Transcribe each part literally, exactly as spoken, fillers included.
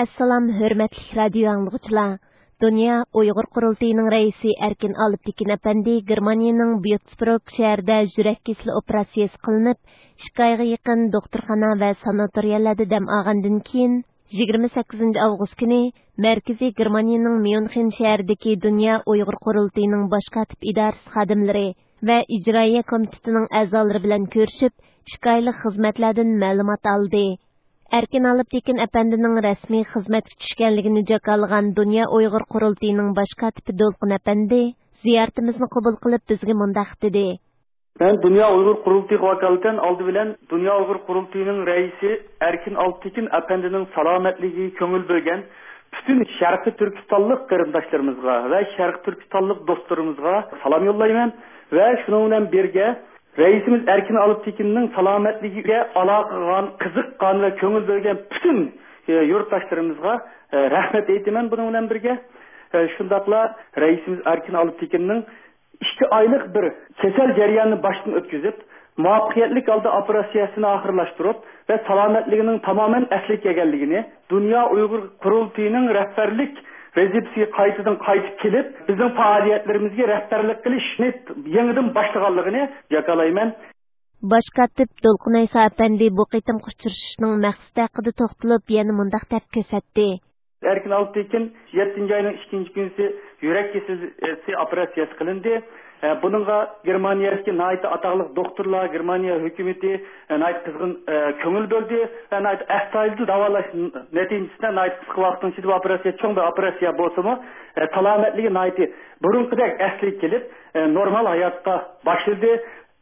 ئەسسالام، ھۆرمەتلىك رادىيو ئاڭلىغۇچىلار! دۇنيا ئۇيغۇر قۇرۇلتىيىنىڭ رەئىسى ئەركىن ئالپتېكىن ئەپەندى گېرمانىيىنىڭ بيوتسبروگ شەھىرىدە يۈرەك كېسىلى ئوپېراتسىيىسى قىلىنىپ، ئىككى ئايغا يېقىن دوختۇرخانا ۋە ساناتورىيەلەردە دەم ئالغاندىن كېيىن، يىگىرمە سەككىزىنچى ئاۋغۇست كۈنى مەركىزىي گېرمانىيىنىڭ ميۇنخېن شەھىرىدىكى دۇنيا ئۇيغۇر قۇرۇلتىيىنىڭ باش كاتىپ ئىدارىسى خادىملىرى ۋە ئىجرائىيە كومىتېتىنىڭ ئەزالىرى بىلەن كۆرۈشۈپ، ئىككى ئايلىق خىزمەتلەردىن مەلۇمات ئالدى. ئەركىن ئالپتېكىن ئەپەندىنىڭ رەسمىي خىزمەتكە چۈشكەنلىكىنى جاكارلىغان دۇنيا ئۇيغۇر قۇرۇلتىيىنىڭ باش كاتىپى دولقۇن ئەپەندى زىيارىتىمىزنى قوبۇل قىلىپ، بىزگە مۇنداق دېدى. مەن دۇنيا ئۇيغۇر قۇرۇلتىيىغا ۋاكالىتەن ئالدى بىلەن دۇنيا ئۇيغۇر قۇرۇلتىيىنىڭ رەئىسى ئەركىن ئالپتېكىن ئەپەندىنىڭ سالامەتلىكىگە كۆڭۈل بۆلگەن پۈتۈن شەرقىي تۈركىستانلىق قېرىنداشلىرىمىزغا ۋە شەرقىي تۈركىستانلىق دوستلىرىمىزغا سالام يوللايمەن ۋە شۇنىڭ بىلەن بىرگە، رەئىسىمىز ئەركىن ئالپتېكىننىڭ سالامەتلىكىگە ئالاقە قىلغان، قىزىققان ۋە كۆڭۈل بۆلگەن پۈتۈن، ئى، يۇرتداشلىرىمىزغا، ئى، رەھمەت ئېيتىمەن. بۇنىڭ بىلەن بىرگە، ئى، شۇنداقلا رەئىسىمىز ئەركىن ئالپتېكىننىڭ ئىككى ئايلىق بىر كېسەل جەريانىنى باشتىن ئۆتكۈزۈپ، مۇۋەپپەقىيەتلىك ھالدا ئوپېراتسىيەسىنى ئاخىرلاشتۇرۇپ ۋە سالامەتلىكىنىڭ تامامەن ئەسلىگە كەلگەنلىكىنى، دۇنيا ئۇيغۇر قۇرۇلتىيىنىڭ رەھبەرلىك ۋەزىپىسىگە قايتىدىن قايتىپ كېلىپ، بىزنىڭ پائالىيەتلىرىمىزگە رەھبەرلىك قىلىشنى يېڭىدىن باشلىغانلىقىنى جاكارلايمەن. باش كاتىپ دولقۇن ئەيسا ئەپەندى بۇ قېتىمقى ئۇچرىشىشنىڭ مەقسىتى ھەققىدە توختىلىپ، يەنە مۇنداق دەپ كۆرسەتتى. ئەركىن ئالپتېكىن يەتتىنچى ئاينىڭ ئىككىنچى كۈنى يۈرەك كېسىلى ئوپېراتسىيەسى قىلىندى. ئە، بۇنىڭغا گېرمانىيەدىكى ناھايىتى ئاتاقلىق دوختۇرلار، گېرمانىيە ھۆكۈمىتى، ئە، ناھايىتى قىزغىن، ئە، كۆڭۈل بۆلدى ۋە ناھايىتى ئەستايىدىل داۋالاش نەتىجىسىدە ناھايىتى قىسقا ۋاقىتنىڭ ئىچىدە بۇ ئوپېراتسىيە، چوڭ بىر ئوپېراتسىيە بولسىمۇ، ئە، سالامەتلىكى ناھايىتى بۇرۇنقىدەك ئەسلىگە كېلىپ، ئە، نورمال ھاياتقا باشلىدى.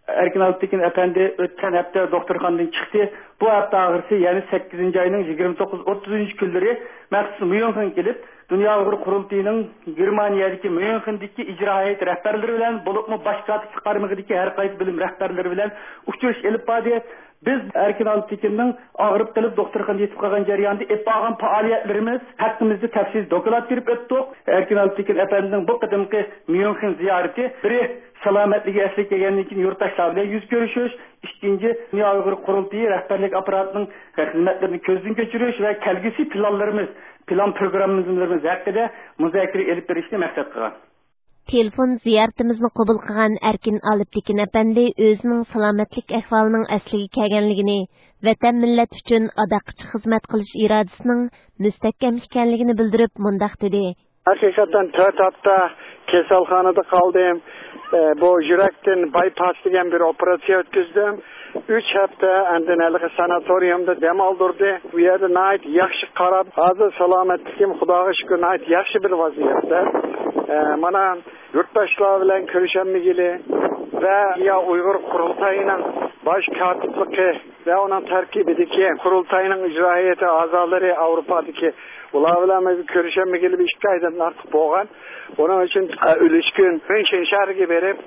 ئەركىن ئالپتېكىن ئەپەندى ئۆتكەن ھەپتە دوختۇرخانىدىن چىقتى. بۇ ھەپتە ئاخىرسى، يەنى سەككىزىنچى ئاينىڭ يىگىرمە توققۇز، ئوتتۇزىنچى كۈنلىرى مەخسۇس ميۇنخېنگە كېلىپ، دۇنيا ئۇيغۇر قۇرۇلتىيىنىڭ گېرمانىيەدىكى ميۇنخېندىكى ئىجرا ھەيئەت رەھبەرلىرى بىلەن، بولۇپمۇ باش كاتىپلىق قارمىقىدىكى ھەر قايسى بۆلۈم رەھبەرلىرى بىلەن ئۇچرىشىش ئېلىپ باردى. بىز ئەركىن ئالپتېكىننىڭ ئاغرىپ قېلىپ دوختۇرخانىدا يېتىپ قالغان جەريانىدا ئېلىپ بارغان پائالىيەتلىرىمىز ھەققىمىزدە تەپسىلىي دوكلات بېرىپ ئۆتتۇق. ئەركىن ئالپتېكىن ئەپەندىنىڭ بۇ قېتىمقى ميۇنخېن زىيارىتى بىرى، سالامەتلىكى ئەسلىگە كەلگەندىن كېيىن يۇرتداشلار بىلەن يۈز كۆرۈشۈش، ئىككىنچى، دۇنيا ئۇيغۇر قۇرۇلتىيى رەھبەرلىك ئاپپاراتىنىڭ خىزمەتلىرىنى كۆزدىن كەچۈرۈش ۋە كەلگۈسى پىلانلىرىمىز، پىلان پروگراممىلىرىمىز ھەققىدە مۇزاكىرە ئېلىپ بېرىشنى مەقسەت قىلغان. تېلېفون زىيارىتىمىزنى قوبۇل قىلغان ئەركىن ئالپتېكىن ئەپەندى ئۆزىنىڭ سالامەتلىك ئەھۋالىنىڭ ئەسلىگە كەلگەنلىكىنى، ۋەتەن مىللەت ئۈچۈن ئاداققىچە خىزمەت قىلىش ئىرادىسىنىڭ مۇستەھكەم ئىكەنلىكىنى بىلدۈرۈپ مۇنداق دېدى. ھەقىقەتەن تۆت ھەپتە كېسەلخانىدا قالدىم. ئە، بۇ يۈرەكتىن بايپاس دېگەن بىر ئوپېراتسىيە ئۆتكۈزدۈم. ئۈچ ھەپتە ئاندىن ھېلىقى ساناتورىيۇمدا دەم ئالدۇردى. بۇ يەردە ناھايىتى ياخشى قاراپ، ھازىر سالامەتلىكىم خۇداغا شۈكۈر ناھايىتى ياخشى بىر ۋەزىيەتتە. ئە، مانا يۇرتداشلار بىلەن كۆرۈشەلمىگىلى ۋە يا ئۇيغۇر قۇرۇلتايىنىڭ باش كاتىپلىقى ۋە ئۇنىڭ تەركىبىدىكى قۇرۇلتاينىڭ ئىجرا ھەيئىتى ئەزالىرى ئاۋروپادىكى، ئۇلار بىلەن بىز كۆرۈشەلمىگىلى بىر ئىككى ئايدىن ئارتۇق بولغان. ئۇنىڭ ئۈچۈن، ئە، ئۈلۈشكۈن ميۇنخېن شەھىرىگە بېرىپ،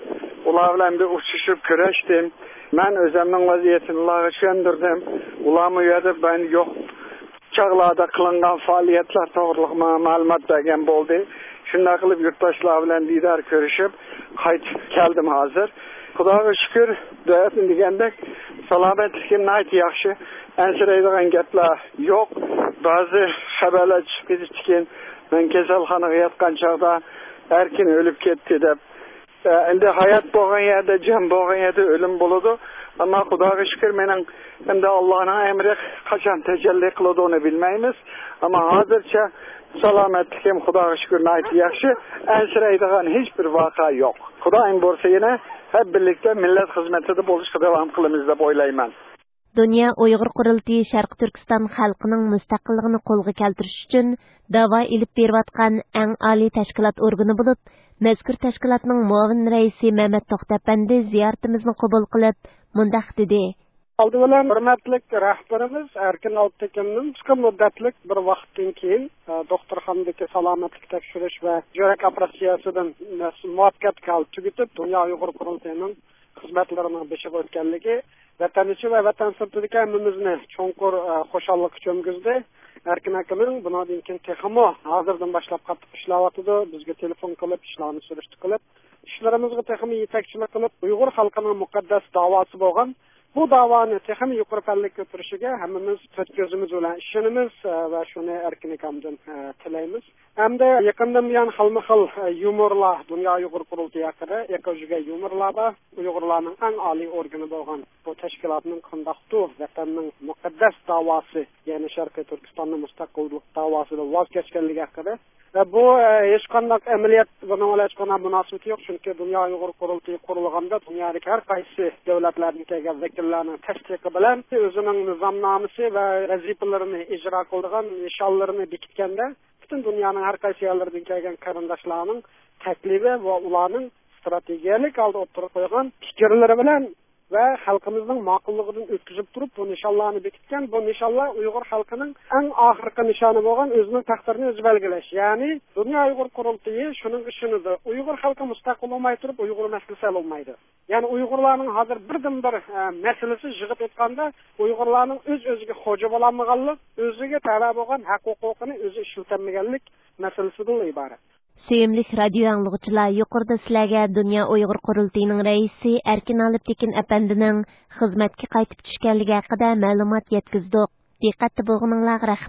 ئۇلار بىلەن بىر ئۇچرىشىپ كۆرۈشتۈم. مەن ئۆزۈمنىڭ ۋەزىيىتىنى ئۇلارغا چۈشەندۈردۈم. ئۇلارمۇ ئۇ يەردە مەن يوق چاغلاردا قىلىنغان پائالىيەتلەر توغرىلىق ماڭا مەلۇمات بەرگەن بولدى. شۇنداق قىلىپ يۇرتداشلار بىلەن دىدار كۆرۈشۈپ قايتىپ كەلدىم ھازىر. خۇداغا شۈكۈر، دەۋەتنى دېگەندەك سالامەتلىكىم ناھايىتى ياخشى. ئەنسىرەيدىغان گەپلەر يوق. بەزى خەۋەرلەر چۈشۈپ كېتىپتىكەن، مەن كېسەلخانىغا ياتقان چاغدا ئەركىن ئۆلۈپ كەتتى دەپ. ئە، ئەمدى ھايات بولغان يەردە، جان بولغان يەردە ئۆلۈم بولىدۇ. ئەمما خۇداغا شۈكۈر، مېنىڭ ئەمدى ئاللانىڭ ئەمرى قاچان تەجەللى قىلىدۇ، ئۇنى بىلمەيمىز. ئەمما ھازىرچە سالامەتلىكىم خۇداغا شۈكۈر ناھايىتى ياخشى. ئەنسىرەيدىغان ھېچ بىر ۋەقە يوق. خۇدايىم بۇيرۇسا يەنە ھەم بىرلىكتە مىللەت خىزمىتىدە بولۇشقا داۋام قىلىمىز دەپ ئويلايمەن. دۇنيا ئۇيغۇر قۇرۇلتىيى شەرقىي تۈركىستان خەلقىنىڭ مۇستەقىللىقىنى قولغا كەلتۈرۈش ئۈچۈن داۋا ئېلىپ بېرىۋاتقان ئەڭ ئالىي تەشكىلات ئورگىنى بولۇپ، مەزكۇر تەشكىلاتنىڭ مۇئاۋىن رەئىسى مەمەت توختى ئەپەندى زىيارىتىمىزنى قوبۇل قىلىپ، مۇنداق دېدى. ئالدى بىلەن ھۆرمەتلىك رەھبىرىمىز ئەركىن ئالپتېكىننىڭ قىسقا مۇددەتلىك بىر ۋاقىتتىن كېيىن، ئە، دوختۇرخانىدىكى سالامەتلىك تەكشۈرۈش ۋە يۈرەك ئوپېراتسىيەسىدىن مۇۋەپپەقىيەتلىك ھالدا تۈگىتىپ، دۇنيا ئۇيغۇر قۇرۇلتىيىنىڭ خىزمەتلىرىنىڭ بېشىغا ئۆتكەنلىكى، ۋەتەن ئىچى ۋە ۋەتەن سىرتىدىكى ھەممىمىزنى چوڭقۇر، ئە، خۇشاللىققا چۆمگۈزدى. ئەركىن ئاكىمىز بۇنىڭدىن كېيىن تېخىمۇ ھازىردىن باشلاپ قاتتىق ئىشلەۋاتىدۇ. بىزگە تېلېفون قىلىپ، ئىشلارنى سۈرۈشتە قىلىپ، ئىشلىرىمىزغا تېخىمۇ يېتەكچىلىك قىلىپ، ئۇيغۇر خەلقىنىڭ مۇقەددەس داۋاسى بولغان بۇ داۋانى تېخىمۇ يۇقىرى پەللىگە كۆتۈرۈشىگە ھەممىمىز تۆت كۆزىمىز بىلەن ئىشىنىمىز، ئە، ۋە شۇنى ئەركىن ئاكامدىن، ئە، تىلەيمىز. ھەمدە يېقىندىن بۇيان خىلمۇ خىل، ئە، يۇمۇرلار دۇنيا ئۇيغۇر قۇرۇلتىيى ھەققىدە ئېقىپ يۈرگەن يۇمۇرلار بار. ئۇيغۇرلارنىڭ ئەڭ ئالىي ئورگىنى بولغان بۇ تەشكىلاتنىڭ قانداقتۇ ۋەتەننىڭ مۇقەددەس داۋاسى، يەنى شەرقىي تۈركىستاننى مۇستەقىللىق داۋاسىدىن ۋاز كەچكەنلىكى ھەققىدە. ۋە بۇ، ئە، ھېچقانداق ئەمەلىيەت بۇنىڭ بىلەن ھېچقانداق مۇناسىۋىتى يوق، چۈنكى دۇنيا ئۇيغۇر قۇرۇلتىيى قۇرۇلغاندا دۇنيادىكى ھەر قايسى دۆلەتلەردىن كەلگەن ۋەكىللەرنىڭ تەستىقى بىلەن ئۆزىنىڭ نىزامنامىسى ۋە ۋەزىپىلىرىنى ئىجرا قىلىدىغان نىشانلىرىنى بېكىتكەندە، پۈتۈن دۇنيانىڭ ھەر قايسى يەرلىرىدىن كەلگەن قېرىنداشلارنىڭ تەكلىپى ۋە ئۇلارنىڭ ئىستراتېگىيەلىك ھالدا ئوتتۇرىغا قويغان پىكىرلىرى بىلەن ۋە خەلقىمىزنىڭ ماقۇللۇقىدىن ئۆتكۈزۈپ تۇرۇپ، بۇ نىشانلارنى بېكىتكەن. بۇ نىشانلار ئۇيغۇر خەلقىنىڭ ئەڭ ئاخىرقى نىشانى بولغان ئۆزىنىڭ تەقدىرىنى ئۆزى بەلگىلەش. يەنى دۇنيا ئۇيغۇر قۇرۇلتىيى شۇنىڭغا ئىشىنىدۇ. ئۇيغۇر خەلقى مۇستەق بولالماي تۇرۇپ، ئۇيغۇر مەسىلىسى ھەل بولمايدۇ. يەنى ئۇيغۇرلارنىڭ ھازىر بىردىنبىر، ئە، مەسىلىسى، يىغىپ ئېيتقاندا، ئۇيغۇرلارنىڭ ئۆز-ئۆزىگە خوجا بولالمىغانلىق، ئۆزىگە تەۋە بولغان ھەق-ھوقۇقىنى ئۆزى ئىشلىتەلمىگەنلىك مەسىلىسىدىنلا ئىبارەت. سۆيۈملۈك رادىيو ئاڭلىغۇچىلار، يۇقىرىدا سىلەرگە دۇنيا ئۇيغۇر قۇرۇلتىيىنىڭ رەئىسى ئەركىن ئالىپتېكىن ئەپەندىنىڭ خىزمەتكە قايتىپ چۈشكەنلىكى ھەققىدە مەلۇمات يەتكۈزدۇق. دىققەتتە بولغىنىڭلارغا رەھمەت.